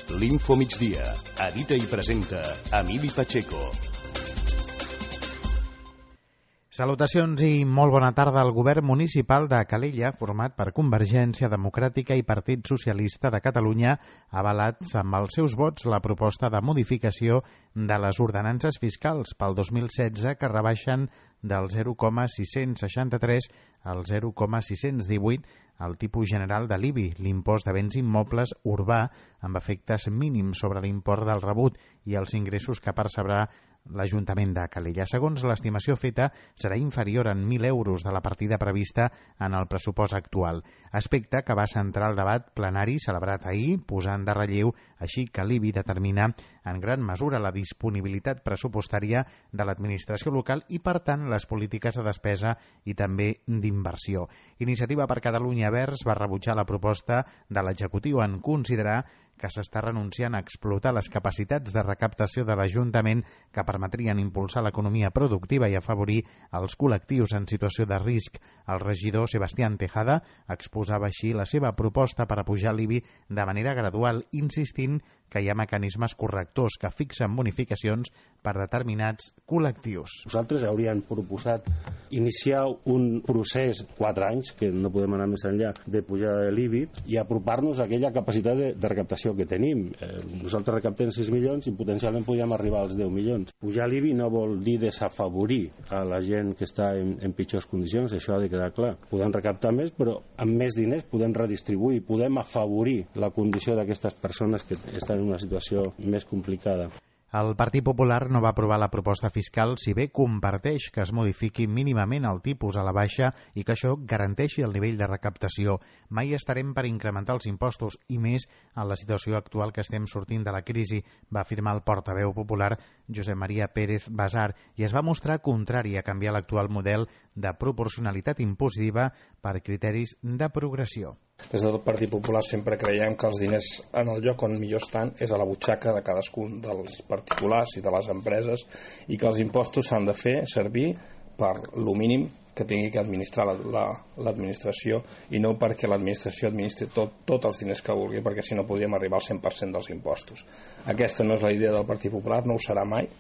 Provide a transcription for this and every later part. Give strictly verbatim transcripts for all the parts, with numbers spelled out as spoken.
L'Info Migdia. Edita i presenta Emili Pacheco. Salutacions i molt bona tarda. El govern municipal de Calella, format per Convergència Democràtica i Partit Socialista de Catalunya, ha avalat amb els seus vots la proposta de modificació de les ordenances fiscals pel dos mil setze que rebaixen del zero coma sis-cents seixanta-tres al zero coma sis-cents divuit el tipus general de l'I B I, l'impost de béns immobles urbà, amb efectes mínims sobre l'import del rebut i els ingressos que percebrà l'Ajuntament de Calella. Segons l'estimació feta, serà inferior en mil euros de la partida prevista en el pressupost actual. Aspecte que va centrar el debat plenari celebrat ahir, posant de relleu així que l'I B I determina en gran mesura la disponibilitat pressupostària de l'administració local i, per tant, les polítiques de despesa i també d'inversió. Iniciativa per Catalunya Verds va rebutjar la proposta de l'executiu en considerar que s'està renunciant a explotar les capacitats de recaptació de l'Ajuntament que permetrien impulsar l'economia productiva i afavorir els col·lectius en situació de risc. El regidor Sebastián Tejada exposava així la seva proposta per apujar l'I B I de manera gradual, insistint que hi ha mecanismes correctors que fixen bonificacions per determinats col·lectius. Nosaltres hauríem proposat iniciar un procés, quatre anys, que no podem anar més enllà, de pujar l'I B I i apropar-nos a aquella capacitat de, de recaptació que tenim. Eh, nosaltres recaptem sis milions i potencialment podríem arribar als deu milions. Pujar l'I B I no vol dir desafavorir a la gent que està en, en pitjors condicions, això ha de quedar clar. Podem recaptar més, però amb més diners podem redistribuir, podem afavorir la condició d'aquestes persones que estan en una situació més complicada. El Partit Popular no va aprovar la proposta fiscal, si bé comparteix que es modifiqui mínimament el tipus a la baixa i que això garanteixi el nivell de recaptació. Mai estarem per incrementar els impostos, i més en la situació actual que estem sortint de la crisi, va afirmar el portaveu popular Josep Maria Pérez Basar, i es va mostrar contrari a canviar l'actual model de proporcionalitat impositiva per criteris de progressió. Des del Partit Popular sempre creiem que els diners en el lloc on millor estan és a la butxaca de cadascun dels particulars i de les empreses, i que els impostos s'han de fer servir per lo mínim que tingui que administrar l'administració, i no perquè l'administració administri tot, tots els diners que vulgui, perquè si no podríem arribar al cent per cent dels impostos. Aquesta no és la idea del Partit Popular, no ho serà mai.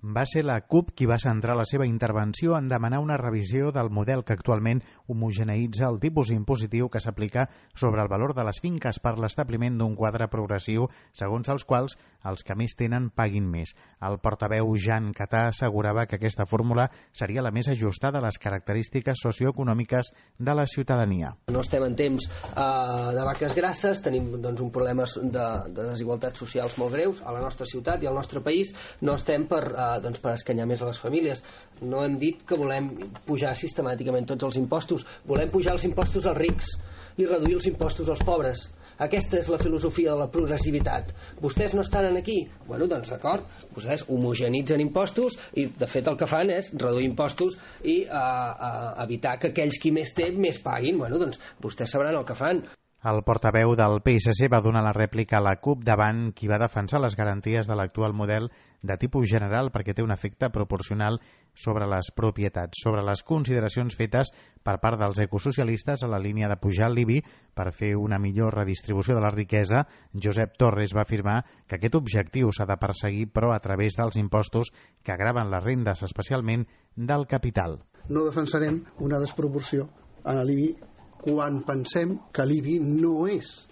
Va ser la CUP qui va centrar la seva intervenció en demanar una revisió del model que actualment homogeneïtza el tipus impositiu que s'aplica sobre el valor de les finques per l'establiment d'un quadre progressiu segons els quals els que més tenen paguin més. El portaveu Jan Catà assegurava que aquesta fórmula seria la més ajustada a les característiques socioeconòmiques de la ciutadania. No estem en temps uh, de vaques grasses, tenim doncs, un problema de, de desigualtats socials molt greus a la nostra ciutat i al nostre país. No estem per uh, doncs per escanyar més a les famílies. No hem dit que volem pujar sistemàticament tots els impostos, volem pujar els impostos als rics i reduir els impostos als pobres. Aquesta és la filosofia de la progressivitat. Vostès no estan aquí? Bueno, doncs d'acord, vostès homogenitzen impostos i de fet el que fan és reduir impostos i uh, uh, evitar que aquells qui més té més paguin. Bueno, doncs vostès sabran el que fan. El portaveu del P S C va donar la rèplica a la CUP davant qui va defensar les garanties de l'actual model de tipus general perquè té un efecte proporcional sobre les propietats. Sobre les consideracions fetes per part dels ecosocialistes a la línia de pujar l'I B I per fer una millor redistribució de la riquesa, Josep Torres va afirmar que aquest objectiu s'ha de perseguir però a través dels impostos que agraven les rendes, especialment del capital. No defensarem una desproporció en l'I B I quan pensem que l'I B I no és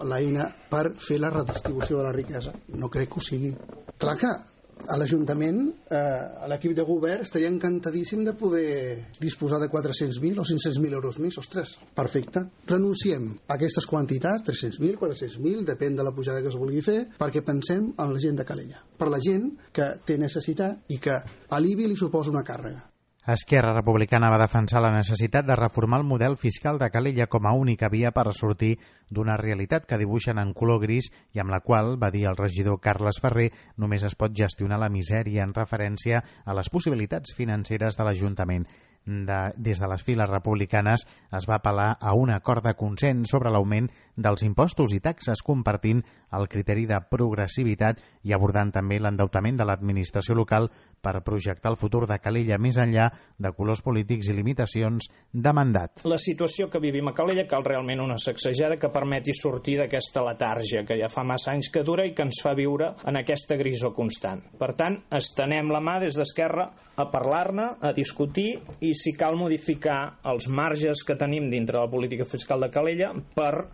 l'eina per fer la redistribució de la riquesa. No crec que ho sigui. Clar que a l'Ajuntament, eh, a l'equip de govern, estaria encantadíssim de poder disposar de quatre-cents mil o cinc-cents mil euros més. Ostres, perfecte. Renunciem a aquestes quantitats, tres-cents mil, quatre-cents mil, depèn de la pujada que es vulgui fer, perquè pensem en la gent de Calella. Per la gent que té necessitat i que a l'I B I li suposa una càrrega. Esquerra Republicana va defensar la necessitat de reformar el model fiscal de Calella com a única via per sortir d'una realitat que dibuixen en color gris i amb la qual, va dir el regidor Carles Ferrer, només es pot gestionar la misèria en referència a les possibilitats financeres de l'Ajuntament. de, des de les files republicanes es va apel·lar a un acord de consens sobre l'augment dels impostos i taxes, compartint el criteri de progressivitat i abordant també l'endeutament de l'administració local per projectar el futur de Calella més enllà de colors polítics i limitacions de mandat. La situació que vivim a Calella cal realment una sacsejada que permeti sortir d'aquesta letàrgia que ja fa massa anys que dura i que ens fa viure en aquesta grisor constant. Per tant, estenem la mà des d'Esquerra a parlar-ne, a discutir i si cal modificar els marges que tenim dintre la política fiscal de Calella per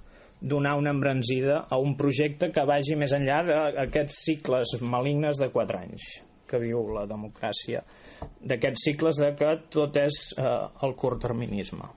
donar una embranzida a un projecte que vagi més enllà d'aquests cicles malignes de quatre anys que viu la democràcia, d'aquests cicles de que tot és eh, el curtterminisme.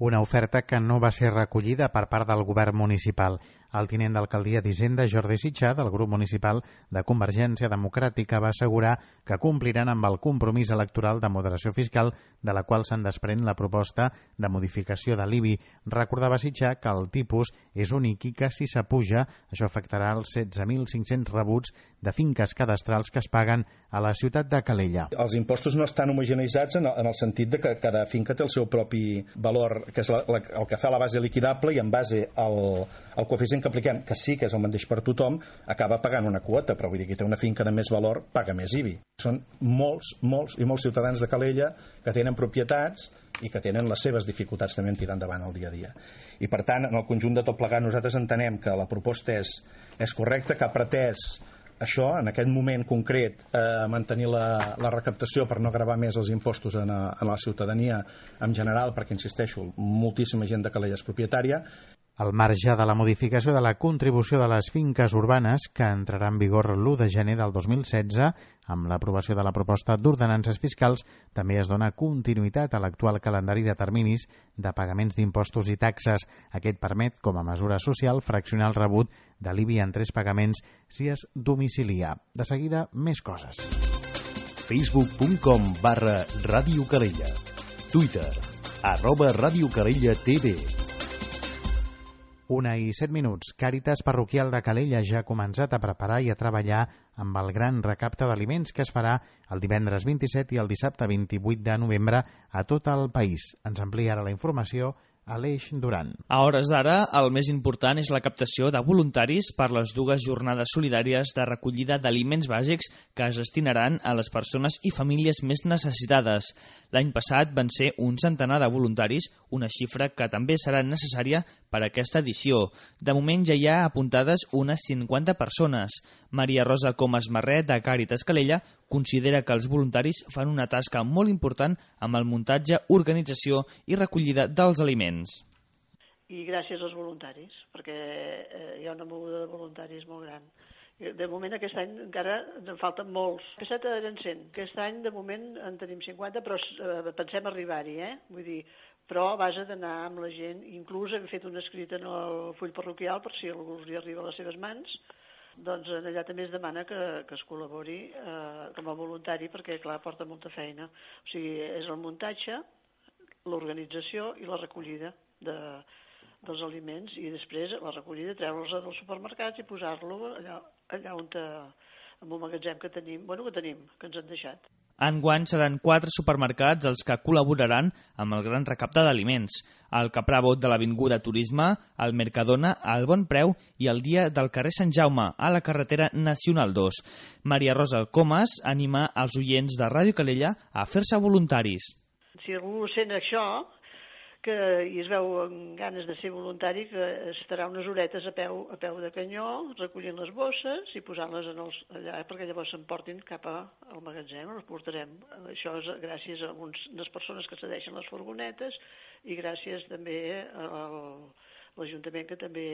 Una oferta que no va ser recollida per part del govern municipal. El tinent d'alcaldia d'Hisenda, Jordi Sitjà, del grup municipal de Convergència Democràtica, va assegurar que compliran amb el compromís electoral de moderació fiscal de la qual se'n desprèn la proposta de modificació de l'I B I. Recordava Sitjà que el tipus és únic i que si s'apuja, això afectarà els setze mil cinc-cents rebuts de finques cadastrals que es paguen a la ciutat de Calella. Els impostos no estan homogeneitzats en el sentit de que cada finca té el seu propi valor, que és la, la, el que fa la base liquidable, i en base al, al coeficient que apliquem, que sí que és el mateix per tothom, acaba pagant una quota, però vull dir que té una finca de més valor, paga més I B I. Són molts, molts i molts ciutadans de Calella que tenen propietats i que tenen les seves dificultats també en tirar endavant el dia a dia. I per tant, en el conjunt de tot plegat, nosaltres entenem que la proposta és, és correcta, que ha pretès això, en aquest moment concret, eh, mantenir la, la recaptació per no gravar més els impostos en, a, en la ciutadania en general, perquè, insisteixo, moltíssima gent de Calella és propietària. Al marge de la modificació de la contribució de les finques urbanes, que entrarà en vigor l'u de gener del dos mil setze, amb l'aprovació de la proposta d'ordenances fiscals, també es dona continuïtat a l'actual calendari de terminis de pagaments d'impostos i taxes. Aquest permet, com a mesura social, fraccionar el rebut de l'I B I en tres pagaments si es domicilia. De seguida, més coses. facebook punt com barra Ràdio Calella. Twitter, arroba Ràdio Calella T V. Una i set minuts. Càritas Parroquial de Calella ja ha començat a preparar i a treballar amb el gran recapte d'aliments que es farà el divendres vint-i-set i el dissabte vint-i-vuit de novembre a tot el país. Ens amplia ara la informació Aleix Duran. A hores d'ara, el més important és la captació de voluntaris per les dues jornades solidàries de recollida d'aliments bàsics que es destinaran a les persones i famílies més necessitades. L'any passat van ser un centenar de voluntaris, una xifra que també serà necessària per a aquesta edició. De moment ja hi ha apuntades unes cinquanta persones. Maria Rosa Comas Marret, de Càritas Calella, considera que els voluntaris fan una tasca molt important amb el muntatge, organització i recollida dels aliments. I gràcies als voluntaris, perquè eh, hi ha una moguda de voluntaris molt gran. De moment aquest any encara en falten molts. L'any passat eren cent. Aquest any de moment en tenim cinquanta, però eh, pensem arribar-hi, eh? Vull dir, però a base d'anar amb la gent. Inclús hem fet un escrit en el full parroquial per si algú li arriba a les seves mans. Doncs allà també es demana que, que es col·labori eh, com a voluntari perquè, clar, porta molta feina. O sigui, és el muntatge, l'organització i la recollida de, dels aliments i després la recollida, treure'ls dels supermercats i posar-lo allà, allà on te, en un magatzem que tenim, bueno, que tenim, que ens han deixat. Enguany seran quatre supermercats els que col·laboraran amb el gran recapte d'aliments. El Caprabot de l'Avinguda Turisme, el Mercadona, el Bon Preu i el Dia del carrer Sant Jaume, a la carretera Nacional dos. Maria Rosa Comas anima els oients de Ràdio Calella a fer-se voluntaris. Si algú sent això, que i es veu amb ganes de ser voluntari, que estarà unes horetes a peu, a peu de canyó, recollint les bosses i posant-les en els, allà, perquè llavors s'emportin cap al magatzem, les portarem. Això és gràcies a unes persones que cedeixen les furgonetes i gràcies també a l'Ajuntament, que també,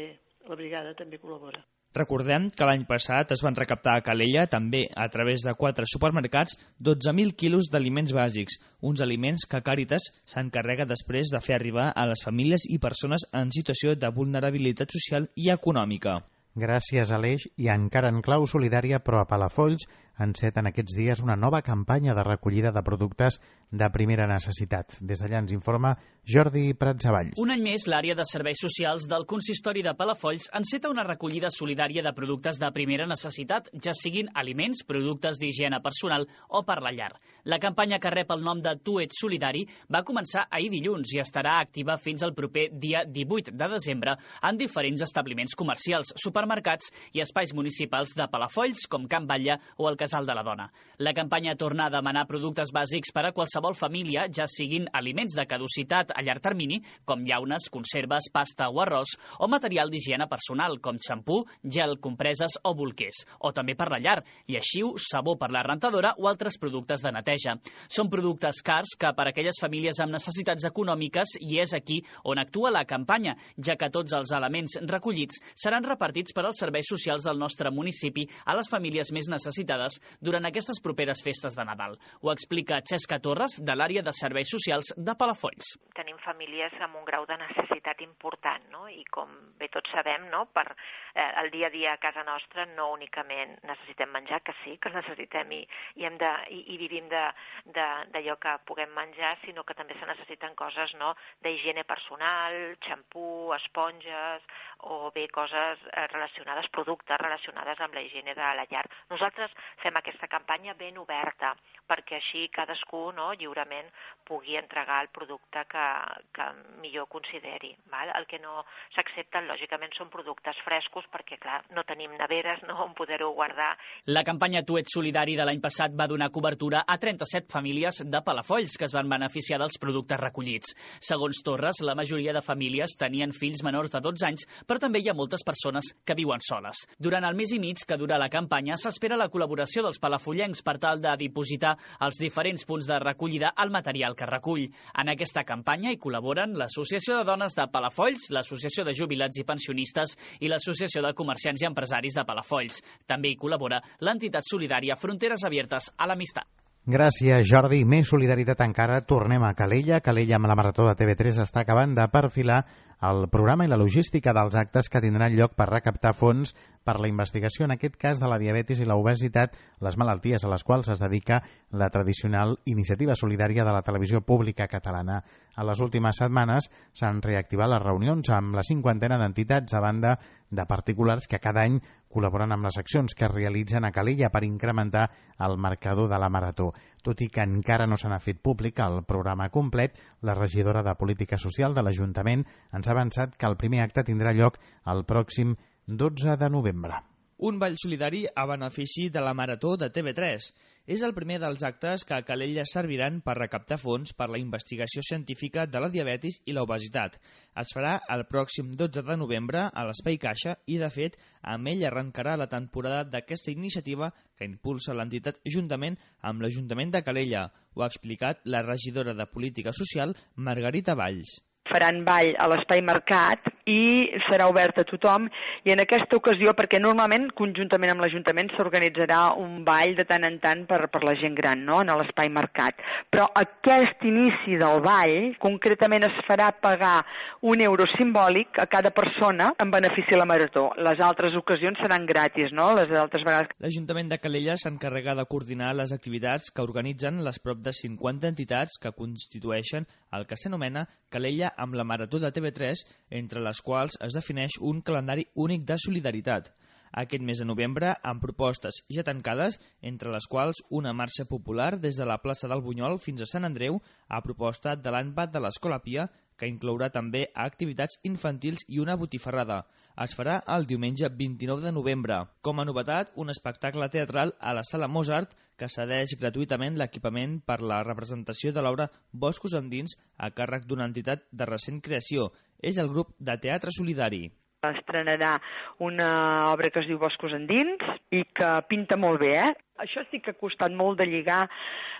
la brigada també col·labora. Recordem que l'any passat es van recaptar a Calella, també a través de quatre supermercats, dotze mil quilos d'aliments bàsics, uns aliments que Càritas s'encarrega després de fer arribar a les famílies i persones en situació de vulnerabilitat social i econòmica. Gràcies, Aleix. I encara en clau solidària, però a Palafolls enceta en aquests dies una nova campanya de recollida de productes de primera necessitat. Des d'allà ens informa Jordi Pratsavalls. Un any més, l'àrea de serveis socials del Consistori de Palafolls enceta una recollida solidària de productes de primera necessitat, ja siguin aliments, productes d'higiene personal o per la llar. La campanya, que rep el nom de Tu ets solidari, va començar ahir dilluns i estarà activa fins al proper dia divuit de desembre en diferents establiments comercials, supermercats i espais municipals de Palafolls, com Can Batlle o el Casal de la Dona. La campanya torna a demanar productes bàsics per a qualsevol família, ja siguin aliments de caducitat a llarg termini, com llaunes, conserves, pasta o arròs, o material d'higiene personal, com xampú, gel, compreses o bolquers, o també per la llar, lleixiu, sabó per la rentadora o altres productes de neteja. Són productes cars que per a aquelles famílies amb necessitats econòmiques i és aquí on actua la campanya, ja que tots els elements recollits seran repartits per als serveis socials del nostre municipi a les famílies més necessitades durant aquestes properes festes de Nadal. Ho explica Xesca Torres, de l'àrea de serveis socials de Palafolls. Tenim famílies amb un grau de necessitat important, no? I com bé tots sabem, no? Per eh, el dia a dia a casa nostra no únicament necessitem menjar, que sí, que el necessitem i, i, hem de, i, i vivim d'allò que puguem menjar, sinó que també se necessiten coses, no? D'higiene personal, xampú, esponges o bé coses relacionades, productes relacionades amb la higiene de la llar. Nosaltres fem aquesta campanya ben oberta perquè així cadascú, no, lliurement pugui entregar el producte que, que millor consideri. Val? El que no s'accepten, lògicament, són productes frescos perquè, clar, no tenim neveres, no, on poder-ho guardar. La campanya Tu ets solidari de l'any passat va donar cobertura a trenta-set famílies de Palafolls que es van beneficiar dels productes recollits. Segons Torres, la majoria de famílies tenien fills menors de dotze anys, però també hi ha moltes persones que viuen soles. Durant el mes i mig que dura la campanya s'espera la col·laboració dels palafollencs per tal de dipositar als diferents punts de recollida el material que recull. En aquesta campanya hi col·laboren l'Associació de Dones de Palafolls, l'Associació de Jubilats i Pensionistes i l'Associació de Comerciants i Empresaris de Palafolls. També hi col·labora l'entitat solidària Fronteres Abiertes a l'Amistat. Gràcies, Jordi. Més solidaritat encara. Tornem a Calella. Calella, amb la Marató de T V tres, està acabant de perfilar el programa i la logística dels actes que tindran lloc per recaptar fons per la investigació, en aquest cas de la diabetis i l'obesitat, les malalties a les quals es dedica la tradicional iniciativa solidària de la televisió pública catalana. A les últimes setmanes s'han reactivat les reunions amb la cinquantena d'entitats a banda de particulars que cada any col·laboren amb les accions que es realitzen a Calella per incrementar el marcador de la Marató. Tot i que encara no se n'ha fet públic el programa complet, la regidora de Política Social de l'Ajuntament ens ha avançat que el primer acte tindrà lloc el pròxim dotze de novembre. Un ball solidari a benefici de la Marató de T V tres. És el primer dels actes que a Calella serviran per recaptar fons per la investigació científica de la diabetis i l'obesitat. Es farà el pròxim dotze de novembre a l'Espai Caixa i, de fet, amb ell arrencarà la temporada d'aquesta iniciativa que impulsa l'entitat juntament amb l'Ajuntament de Calella. Ho ha explicat la regidora de Política Social, Margarita Valls. Faran ball a l'Espai Mercat i serà obert a tothom, i en aquesta ocasió, perquè normalment conjuntament amb l'Ajuntament s'organitzarà un ball de tant en tant per, per la gent gran, no?, en l'Espai Mercat. Però aquest inici del ball concretament es farà pagar un euro simbòlic a cada persona en benefici de la Marató. Les altres ocasions seran gratis, no?, les altres vegades. L'Ajuntament de Calella s'encarrega de coordinar les activitats que organitzen les prop de cinquanta entitats que constitueixen el que s'anomena Calella amb la Marató de T V tres, entre les quals es defineix un calendari únic de solidaritat. Aquest mes de novembre, amb propostes ja tancades, entre les quals una marxa popular des de la plaça del Bunyol fins a Sant Andreu, a proposta de l'A N P A T de l'Escola Pia, que inclourà també activitats infantils i una botifarrada. Es farà el diumenge vint-i-nou de novembre. Com a novetat, un espectacle teatral a la Sala Mozart que cedeix gratuïtament l'equipament per la representació de l'obra Boscos Endins a càrrec d'una entitat de recent creació. És el grup de teatre solidari. Estrenarà una obra que es diu Boscos Endins i que pinta molt bé, eh? Això sí que ha costat molt de lligar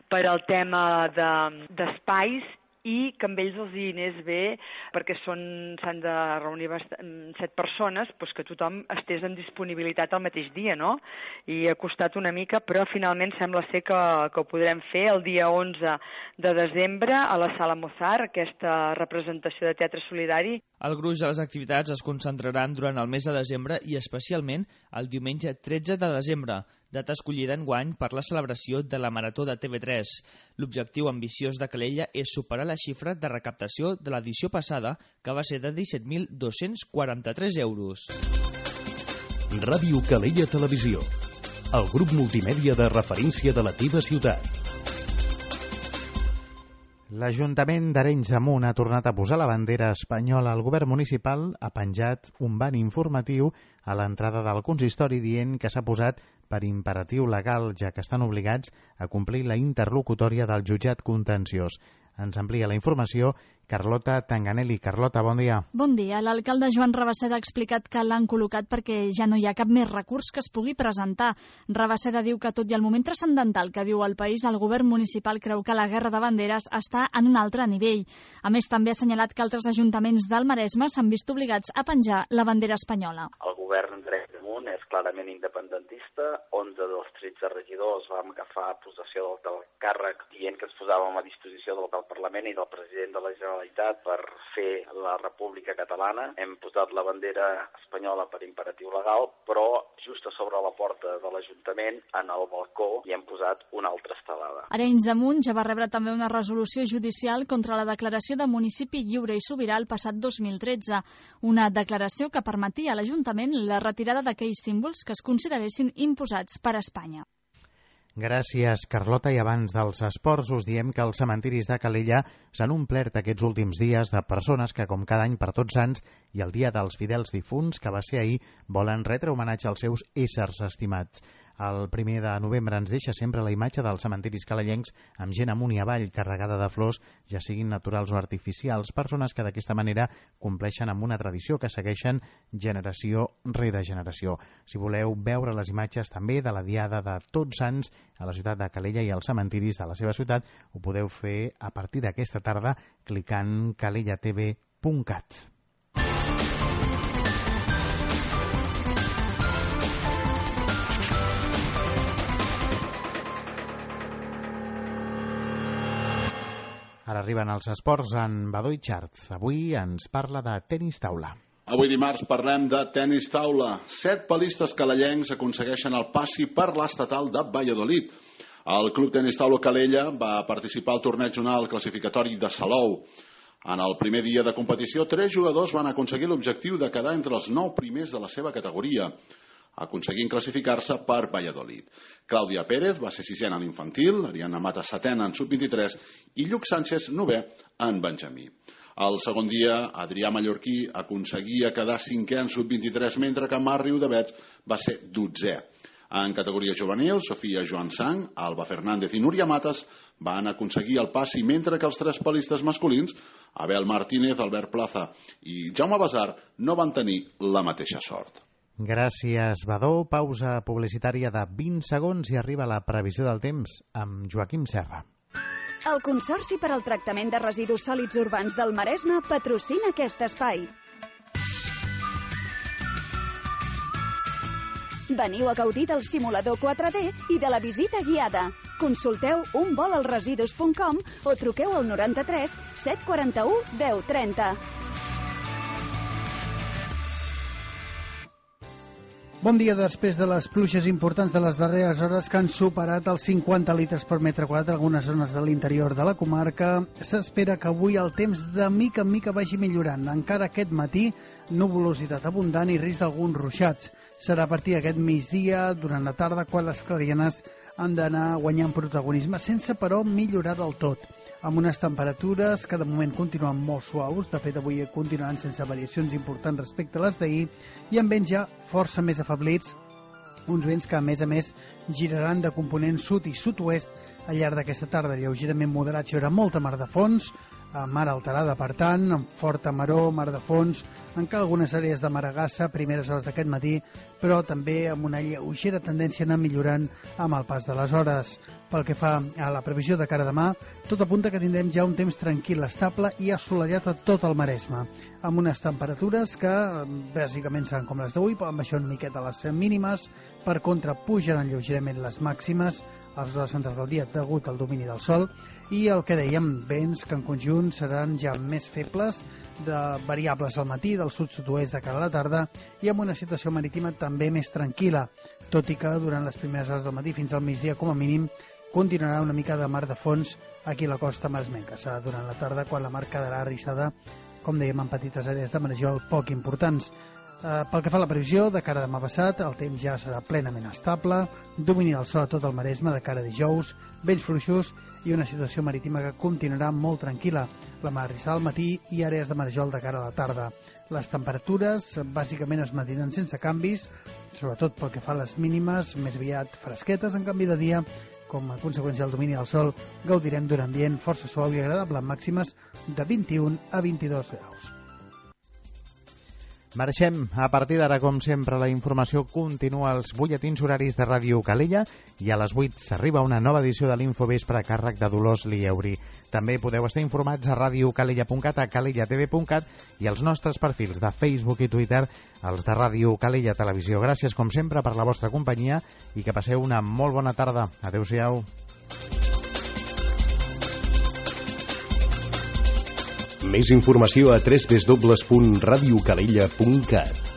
per al tema d'espais de, i que amb ells els hi anés bé, perquè s'han de reunir set persones, doncs que tothom estés en disponibilitat el mateix dia, no? I ha costat una mica, però finalment sembla ser que, que ho podrem fer el dia onze de desembre a la Sala Mozart, aquesta representació de teatre solidari. El gruix de les activitats es concentraran durant el mes de desembre i especialment el diumenge tretze de desembre, data escollida enguany per la celebració de la Marató de T V tres. L'objectiu ambiciós de Calella és superar la xifra de recaptació de l'edició passada, que va ser de disset mil dos-cents quaranta-tres euros. Ràdio Calella Televisió, el grup multimèdia de referència de la teva ciutat. L'Ajuntament d'Arenys de Munt ha tornat a posar la bandera espanyola. El govern municipal ha penjat un ban informatiu a l'entrada del consistori dient que s'ha posat per imperatiu legal, ja que estan obligats a complir la interlocutòria del jutjat contenciós. Ens amplia la informació Carlota Tanganelli. Carlota, bon dia. Bon dia. L'alcalde Joan Rabasseda ha explicat que l'han col·locat perquè ja no hi ha cap més recurs que es pugui presentar. Rabasseda diu que tot i el moment transcendental que viu el país, el govern municipal creu que la guerra de banderes està en un altre nivell. A més, també ha assenyalat que altres ajuntaments del Maresme s'han vist obligats a penjar la bandera espanyola. El govern d'Arenys de Munt és clarament independentista. onze dels tretze regidors vam agafar possessió del càrrec dient que ens posàvem a disposició del Parlament i del president de la Generalitat per fer la República Catalana. Hem posat la bandera espanyola per imperatiu legal, però just a sobre la porta de l'Ajuntament, en el balcó, hi hem posat una altra estelada. Arenys de Munt ja va rebre també una resolució judicial contra la declaració de municipi lliure i sobirà el passat dos mil tretze. Una declaració que permetia a l'Ajuntament la retirada d'aquells símbols que es consideressin imposats per Espanya. Gràcies, Carlota. I abans dels esports us diem que els cementiris de Calella s'han omplert aquests últims dies de persones que, com cada any per Tots Sants i el Dia dels Fidels Difunts, que va ser ahir, volen retre homenatge als seus éssers estimats. El primer de novembre ens deixa sempre la imatge dels cementiris calellencs amb gent amunt i avall carregada de flors, ja siguin naturals o artificials, persones que d'aquesta manera compleixen amb una tradició que segueixen generació rere generació. Si voleu veure les imatges també de la Diada de Tots Sants a la ciutat de Calella i als cementiris de la seva ciutat, ho podeu fer a partir d'aquesta tarda clicant calella t v punt cat. Ara arriben els esports en Badó i Xart. Avui ens parla de tenis taula. Avui dimarts parlem de tenis taula. Set palistes calellencs aconsegueixen el passi per l'estatal de Valladolid. El Club Tenis Taula Calella va participar al torneig zonal classificatori de Salou. En el primer dia de competició, tres jugadors van aconseguir l'objectiu de quedar entre els nou primers de la seva categoria, aconseguint classificar-se per Valladolid. Clàudia Pérez va ser sisena en l'infantil, Ariana Mata setena en sub vint-i-tres i Lluc Sánchez novè en benjamí. El segon dia, Adrià Mallorquí aconseguia quedar cinquè en sub vint-i-tres, mentre que Marc Riudavets va ser dotzè. En categoria juvenil, Sofia Joan Sang, Alba Fernández i Núria Matas van aconseguir el passi, mentre que els tres palistes masculins, Abel Martínez, Albert Plaza i Jaume Basar, no van tenir la mateixa sort. Gràcies, Badó. Pausa publicitària de vint segons i arriba la previsió del temps amb Joaquim Serra. El Consorci per al Tractament de Residus Sòlids Urbans del Maresme patrocina aquest espai. Veniu a gaudir del simulador quatre D i de la visita guiada. Consulteu un vol al residus punt com o truqueu al noranta-tres set quaranta-u deu trenta. Bon dia. Després de les pluges importants de les darreres hores que han superat els cinquanta litres per metre quadrat en algunes zones de l'interior de la comarca, s'espera que avui el temps de mica en mica vagi millorant. Encara aquest matí, nuvolositat abundant i risc d'alguns ruixats. Serà a partir d'aquest migdia, durant la tarda, quan les clarianes han d'anar guanyant protagonisme, sense però millorar del tot, amb unes temperatures que de moment continuen molt suaus. De fet, avui continuaran sense variacions importants respecte a les d'ahir, i amb vents ja força més afablits, uns vents que a més a més giraran de component sud i sud-oest al llarg d'aquesta tarda, lleugerament moderats. Hi haurà molta mar de fons, mar alterada per tant, amb forta maró, mar de fons, encara algunes àrees de maragassa a primeres hores d'aquest matí, però també amb una lleugera tendència a anar millorant amb el pas de les hores. Pel que fa a la previsió de cara a demà, tot apunta que tindrem ja un temps tranquil, estable i assolellat a tot el Maresme, amb unes temperatures que bàsicament seran com les d'avui, amb això una miqueta les mínimes. Per contra, pujaran lleugerament les màximes a les hores centrals del dia degut al domini del sol, i el que dèiem, vents que en conjunt seran ja més febles, de variables al matí, del sud-sud-oest de cara a la tarda, i amb una situació marítima també més tranquil·la, tot i que durant les primeres hores del matí fins al migdia, com a mínim, continuarà una mica de mar de fons aquí a la costa maresmenca. Serà durant la tarda quan la mar quedarà arrissada, com dèiem, en petites àrees de marejol poc importants. Eh, pel que fa a la previsió, de cara a demà passat, el temps ja serà plenament estable, domini del sol a tot el Maresme de cara a dijous, vents fluixos i una situació marítima que continuarà molt tranquil·la. La mar arrissada al matí i àrees de marejol de cara a la tarda. Les temperatures bàsicament es mantindran sense canvis, sobretot pel que fa a les mínimes, més aviat fresquetes en canvi de dia. Com a conseqüència del domini del sol, gaudirem d'un ambient força suau i agradable amb màximes de vint-i-un a vint-i-dos graus. Marxem. A partir d'ara, com sempre, la informació continua als butlletins horaris de Ràdio Calella i a les vuit s'arriba una nova edició de l'Infovespre a càrrec de Dolors Lieuri. També podeu estar informats a radiocalella punt cat, a calella t v punt cat i als nostres perfils de Facebook i Twitter, els de Ràdio Calella Televisió. Gràcies, com sempre, per la vostra companyia i que passeu una molt bona tarda. Adéu-siau. Més informació a w w w punt radiocalella punt cat.